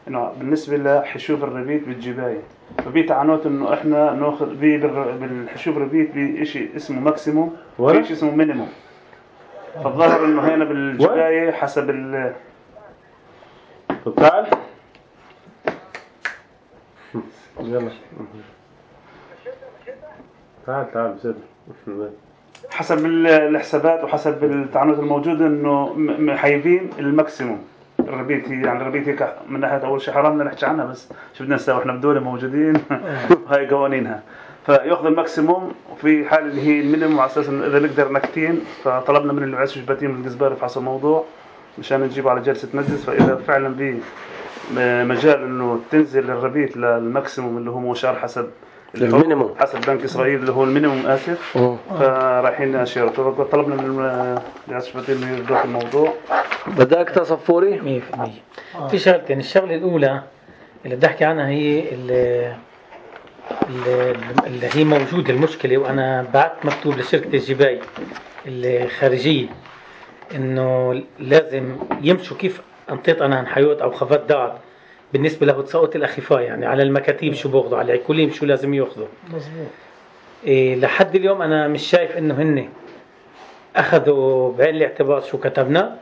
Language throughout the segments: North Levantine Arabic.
إنه بالنسبة لحشوف الربيت بالجباية، فبي تعنوت إنه إحنا نأخذ بالحشوف الربيت بشيء اسمه ماكسيموم وشيء اسمه مينيموم. فالظاهر إنه هنا بالجباية حسب تعال يلا تعال بسرعة. حسب الحسابات وحسب التعنت الموجودة إنه محيبين الماكسيموم الربيت. هي يعني الربيت هيك من ناحية أول شيء حرام نحكي عنها، بس شو بدنا نسوي إحنا بدولة موجودين هاي قوانينها. فيأخذ الماكسيموم وفي حال اللي هي المينيموم على أساس إنه إذا نقدر نكتين. فطلبنا من الرئيس الشباتين من الجزبار يفحصوا الموضوع مشان نجيبه على جلسة مجلس. فإذا فعلا به مجال إنه تنزل الربيت للماكسيموم اللي هو مشار حسب المينيموم حسب بنك إسرائيل اللي هو المينيموم آسف. فرايحين نأشيره. طلبنا من الرئيس الشباتين إنه يبدأ في الموضوع. بدك تصفوري 100%. في شغلتين. الشغلة الأولى اللي بدي أحكي عنها هي اللي هي موجودة المشكلة، وأنا بعت مكتوب لشركة الجباية الخارجية إنه لازم يمشوا كيف أنطيت أنا حيوت أو خفات دعت بالنسبة له تساقط الأخفاء، يعني على المكاتيب شو بياخذوا، على العكولين شو لازم ياخذوا. مظبوط. لحد اليوم أنا مش شايف إنه هن أخذوا بعين الاعتبار شو كتبنا.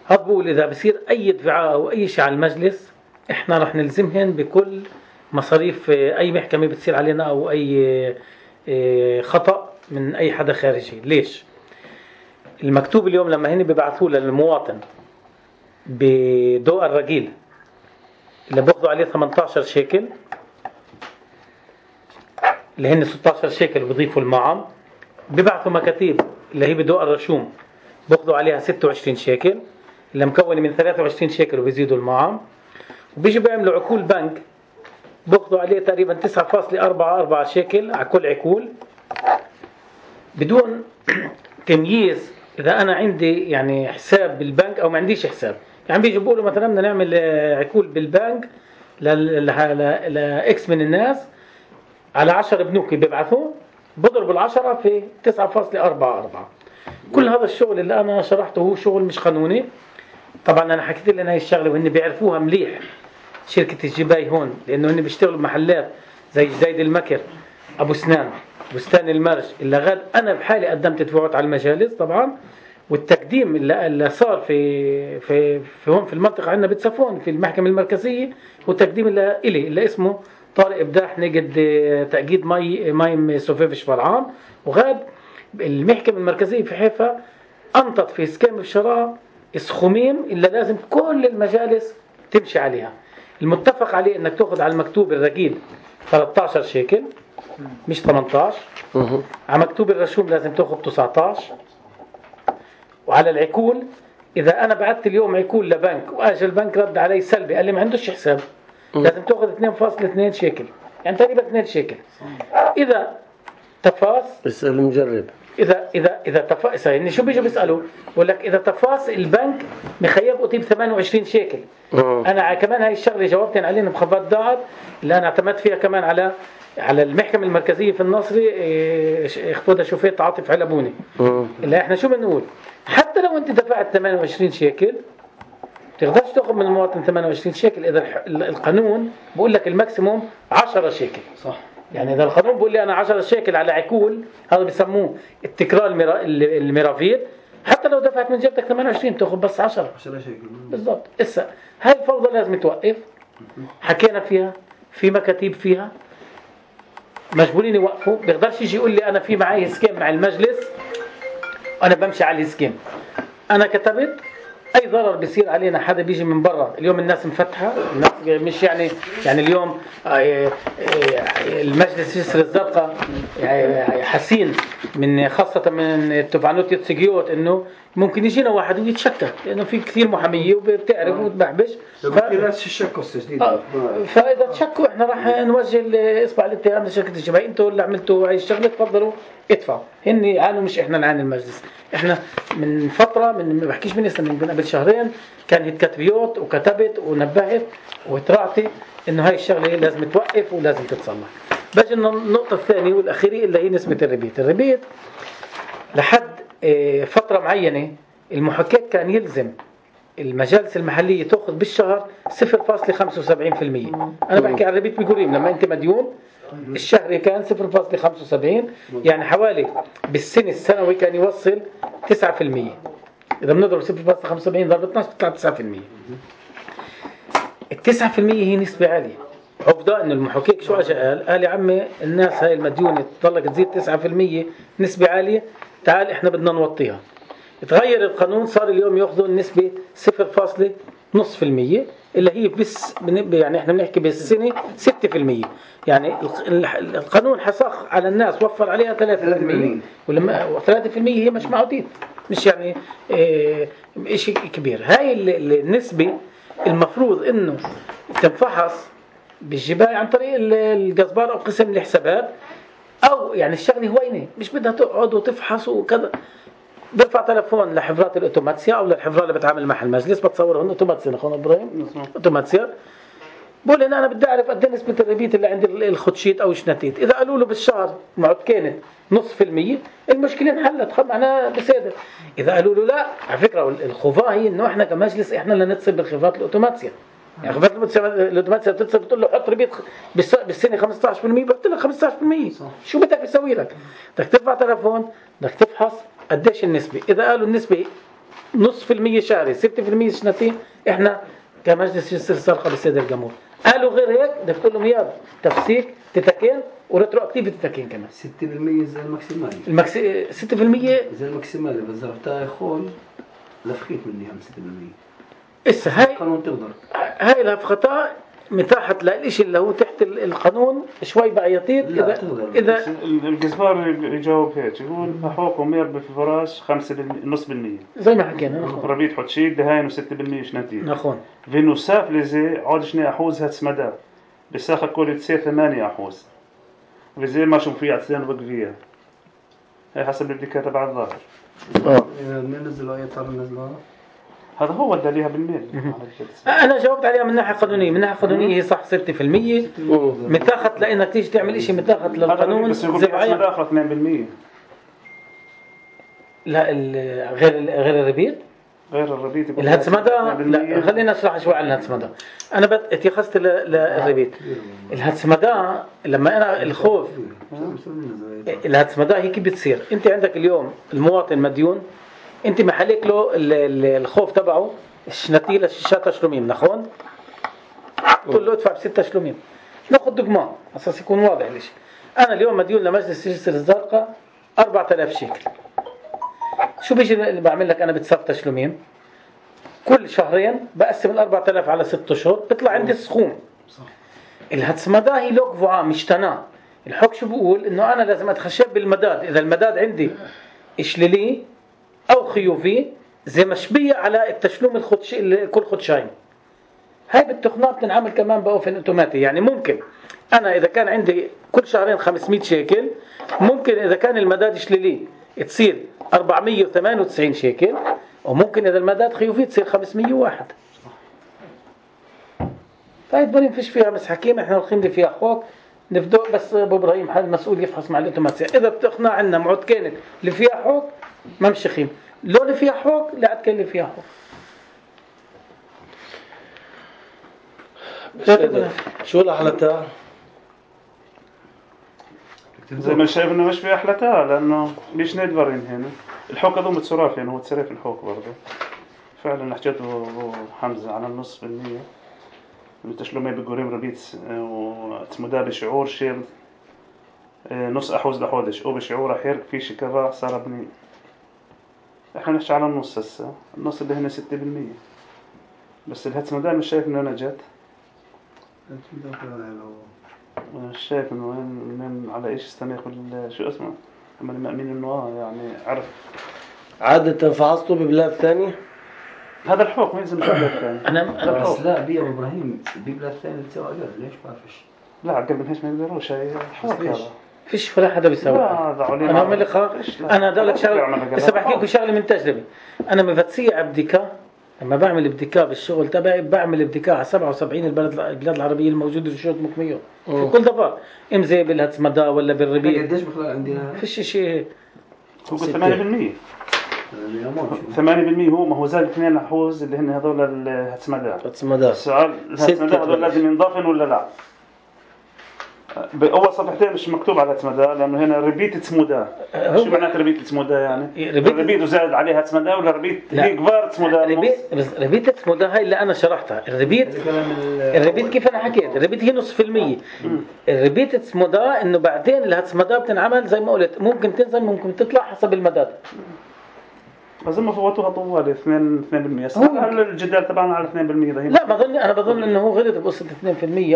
هاد بقول إذا بصير أي دفعاء أو أي شيء على المجلس إحنا رح نلزمهن بكل مصاريف أي محكمة بتصير علينا أو أي خطأ من أي حدا خارجي. ليش؟ المكتوب اليوم لما هن ببعثوه للمواطن بضوء الرجيل اللي بأخذوا عليه 18 شيكل اللي هن 16 شيكل وبيضيفوا المعام، ببعثوا مكاتيب اللي هي بضوء الرشوم بأخذوا عليها 26 شيكل اللي مكونة من 23 شيكل وبيزيدوا المعام، وبيجوا بيعملوا عقول بنك بأخذوا عليه تقريبا 9.44 شيكل على كل عقول بدون تمييز إذا أنا عندي يعني حساب بالبنك أو ما عنديش حساب. يعني بيجوا بيقولوا مثلا بدنا نعمل عقول بالبنك لإكس من الناس على 10 بنوك بيبعثوا بضربوا العشرة في 9.44. كل هذا الشغل اللي أنا شرحته هو شغل مش قانوني. طبعا أنا حكيت لنا هاي الشغلة وهن بيعرفوها مليح شركة الجباي هون، لأنه هن بيشتغلوا بمحلات زي جديد المكر، أبو سنان، بستان المرج اللي غاد أنا بحالي قدمت دفعات على المجالس طبعا. والتقديم اللي صار في هون في المنطقة عندنا بتصفون في المحكمة المركزية هو تقديم اللي اسمه طارق إبداح نجد تأجيد مايم سوفيفش فرعان. وغاد المحكمة المركزية في حيفا أنطت في سكام الشراء السخومين اللي لازم كل المجالس تمشي عليها. المتفق عليه انك تأخذ على المكتوب الرقيق 13 شيكل مش 18. على مكتوب الرشوم لازم تأخذ 19. وعلى العقول إذا أنا بعت اليوم عقول لبنك وأجل البنك رد علي سلبي قال لي ما عندوش حساب لازم تأخذ 2.2 شيكل يعني تقريبا 2 شيكل. إذا تفاص اسأل المجرب. إذا تفاص يعني شو بيجوا بيسألوا بقول لك إذا تفاص البنك مخيب أطيب 28 شيكل. أنا كمان هاي الشغلة جاوبتين علينا بخفات دعت اللي أنا اعتمدت فيها كمان على المحكمة المركزية في الناصري اخوضها شوفيت عاطف علبوني اللي احنا شو بنقول حتى لو انت دفعت 28 شيكل تقدرش تاخذ من المواطن 28 شيكل اذا القانون بقول لك الماكسيموم 10 شيكل. صح. يعني اذا القانون بقول لي انا 10 شيكل على عقول هذا بيسموه التكرار الميرافير. حتى لو دفعت من جيبتك 28 تاخذ بس 10 شيكل بالضبط. هسه هاي الفوضى لازم توقف. حكينا فيها في مكاتيب فيها مجبورين يوقفوا. بيقدرش يجي يقول لي أنا في معي سكيم مع المجلس أنا بمشي على السكيم. أنا كتبت أي ضرر بيصير علينا حدا بيجي من برا. اليوم الناس مفتحة الناس مش يعني اليوم المجلس يسر الزرقاء حسين من خاصة من التوفانوت يتسجيوت إنه ممكن يجينا واحد ويتشكى لأنه في كثير محامية وبتعرف وتبحبش. فإذا تشكوا إحنا راح نوجه إصبع الاتهام لشركة الجباية. أنتوا اللي عملتوا هاي الشغلة تفضلوا ادفعوا. هن يعانوا مش إحنا نعاني المجلس. إحنا من فترة ما بحكيش من اسم من قبل شهرين كان كتبيوت وكتبت ونبهت وترعتي إنه هاي الشغلة لازم توقف ولازم تتصلح. بجي النقطة الثانية والأخيرة اللي هي نسبة الربيت لحد فترة معينة المحكك كان يلزم المجالس المحلية تأخذ بالشهر 0.75%. أنا بحكي عن ربيت بجوريم لما أنت مديون الشهري كان 0.75، يعني حوالي بالسنة السنوي كان يوصل 9%. إذا بنضرب 0.75 ضرب 12 بتطلع 9%. 9% هي نسبة عالية. عقدة إن المحقق شو أجا قال يا عمي الناس هاي المديونة تضلك تزيد 9% نسبة عالية، تعال إحنا بدنا نوطيها. تغير القانون صار اليوم يأخذوا النسبة 0.5%، اللي هي بس يعني إحنا بنحكي بالسنة 6%. يعني القانون حسخ على الناس وفر عليها 3%، ولما 3% هي مش معودين، مش يعني إشي كبير. هاي النسبة المفروض إنه تنفحص بالجباية عن طريق الجزبار أو قسم الحسابات، أو يعني الشغلة هوينة مش بدها تقعد وتفحص وكذا. برفع تلفون لحفرات الأوتوماتسيا أو للحفرات اللي بتعامل مع المجلس، بتصورهم أوتوماتسيا أخونا إبراهيم أوتوماتسيا، بقول إن أنا بدي أعرف قد إيه نسبة الربيت اللي عند الخدشيت أو الشناتيت. إذا قالوا له بالشهر معد كانت 0.5%، المشكلة انحلت، معناها بصادر. إذا قالوا له لا، على فكرة الخفاء هي إنه إحنا كمجلس إحنا اللي نتصل بالخفرات الأوتوماتسيا. يعني خفرات الأوتوماتسيا بتتصل بتقول له حط ربيت بالسنة 15%، بحط لك 15%. شو بدك يسوي لك؟ بدك ترفع تلفون، بدك تفحص قديش النسبة. إذا قالوا النسبة 0.5% شهري 6% سنتين، إحنا كمجلس يصير سرقة بالسيد الجمهور. قالوا غير هيك بدك تقول لهم يلا تفسيك تتكين وريترو اكتيف تتكين كمان 6% زي الماكسيمالي. 6% زي الماكسيمالي بس ضربتها يخول لفخيت مني عم 6%. إسا هاي القانون تقدر هاي لفخطة متاحت للإشي اللي هو تحت القانون شوي بعيطير. إذا الجزبار يجاوب هيك يقول حقوقهم يربي في فراش 5.5% زي ما حكينا ربيت حتشيك دهين و6% شناتين نخون فينوساف لزي عاد 2% هتسمدا بساخة كل تصير 8%. وزي ما شوف فيها عتلين وبقفيها هي حسب البديكة تبع الظاهر. من نزلوا أي طار نزلوا هذا هو الدليل بالميل. أنا جاوبت عليها من ناحية قانونية. من ناحية قانونية هي صح 6% متاخت لأنك تيجي تعمل إشي متاخت للقانون. بس يقول هتسمدا آخر 2%. لا غير الربيط. غير الربيط الهتسمدا لا خلينا نشرح شوي عن الهتسمدا. أنا اتخذت للربيط. الهتسمدا لما أنا الخوف الهتسمدا هي كيف بتصير؟ أنت عندك اليوم المواطن مديون، أنت محلك له الخوف تبعه الشناتي لشاشات تشلومين نخون، تقول له ادفع ب6 شلومين. ناخذ دقمان أساس يكون واضح ليش. أنا اليوم مديون لمجلس الجسر الزرقاء 4000 شيكل. شو بيجي اللي بعمل لك أنا بتصف تشلومين؟ كل شهرين بقسم 4000 على 6 أشهر بيطلع عندي السخوم. الهتسمدا هي لوك فعام مشتناه. الحق شو بقول إنه أنا لازم أتخشب بالمداد. إذا المداد عندي إشليلي أو خيوفي زي مشبية على التشلوم كل خدشين. هاي بالتقنيات بتنعمل كمان بأوفن أوتوماتي. يعني ممكن أنا إذا كان عندي كل شهرين 500 شيكل، ممكن إذا كان المداد إشليلي تصير 498 شيكل، وممكن إذا المداد خيوفي تصير 501. طيب بريم فيش فيها مسحكين، إحنا الخيم فيها حقوق نفدو. بس أبو إبراهيم حال مسؤول يفحص مع الأوتوماتيا. إذا بتقنع عنا معود كانت اللي فيها حقوق ما مش خيم، لو اللي فيها حقوق لا عاد كان اللي فيها حقوق. شو الأحلتها؟ زي ما شايف انه مش في احلتها لانه مش ندفرين هنا الحوك هذو متصرف يعني هو تصرف الحوك برضه فعلا حكيته حمزة على 0.5% التشلومي بقوريم ربيت وتمدا بشعور شيء 0.5% لحودش او بشعور احير في شي كذا صار بني. احنا نحكي على النص هسه النص اللي هنا 6%. بس الهتمدا مش شايف انه نجت. مش شايف انه من على ايش استناخذ شو اسمه هم المأمين انه يعني عرف عادة فحصته ببلاد ثانية. هذا الحوك ما يلزم بلاد ثاني. أنا بس لا بيا إبراهيم ببلاد ثانية بتسوي أقل ليش بعرفش. لا قبل من هيش ما يقدروش هي حوك هذا. فيش ولا حدا بيسوي. انا اعمل لك انا بدي لك شغله بس بحكي لكم شغله من تجربه. انا مفتسيع بديكا لما بعمل بديكا بالشغل تبعي بعمل بديكا على 77 البلاد العربيه الموجوده في شروط مكميه في كل دفعه زي بالهتسمدا ولا بالربيع. قديش بخلال عندنا فيش شيء هو 8%. 8% هو ما هو زاد 2 حوز اللي هن هذول الهتسمداء. هتسمداء. السؤال الهتسمداء هذول لازم ينضافن ولا لا؟ بأول صفحتين مش مكتوب على هتسمداء لأنه هنا ربيت تسمداء. شو معنات ربيت تسمداء يعني؟ ربيت وزاد عليها تسمداء ولا ربيت هي كبار تسمداء؟ ربيت تسمداء هاي اللي أنا شرحتها. الربيت كيف أنا حكيت؟ الربيت هي 0.5%. الربيت تسمداء إنه بعدين الهتسمداء بتنعمل زي ما قلت ممكن تنزل ممكن تطلع حسب المداد. بس هم فوتوها طوالي 2%. هل الجدال تبعنا على 2% ده؟ لا أنا بظن إنه هو غلط بقصة 2%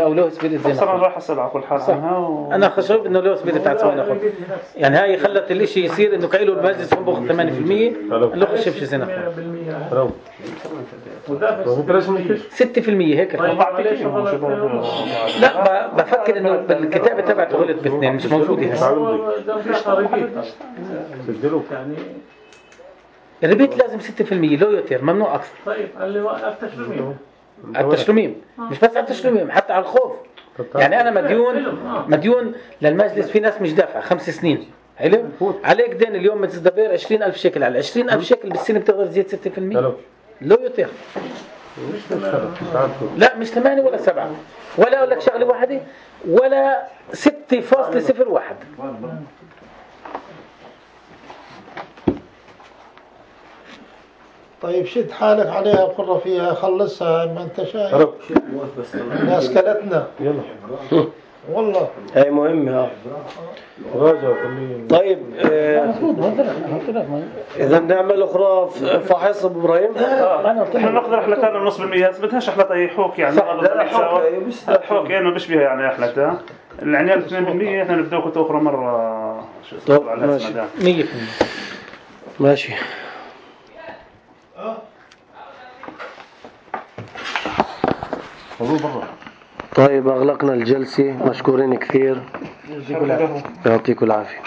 أو لو سبيريت زي ما صار راح أسأل على كل حال عنها أنا خشوف إنه لو سبيريت هتسوي ناخذ يعني هاي خلت الإشي يصير إنه كأنه المجلس هم بأخذ 8% لو خشوف شيء زين 6% هيك. لا بفكر إنه بالكتابة تبعته غلط ب2 مش موجودة يعني. الربيت لازم 6% لو يوتر ممنوع أكثر. طيب اللي وقف التشلميم مش بس على التشلميم حتى على الخوف. يعني أنا مديون للمجلس في ناس مش دافع 5 سنين حلو عليك دين اليوم متدبر 20,000 شيكل على 20,000 شيكل بالسنة بتقدر تزيد 6% لو يوتر. لا مش 8 ولا 7 ولا أقول لك شغلة واحدة ولا 6.01. طيب شد حالك عليها وقرر فيها خلصها ما انت شايف الناس كلتنا يلا والله هاي مهمة طيب إذا بنعمل أخرى فحص أبو إبراهيم احنا ناخذ رحلتين ونص بالمية بدهاش رحلة يحوك يعني حوك يعني بيشبه يعني رحلتها العنيال 2% احنا نبدأ كنت أخرى مرة طب ماشي 100% ماشي. طيب أغلقنا الجلسة مشكورين كثير يعطيكم العافية.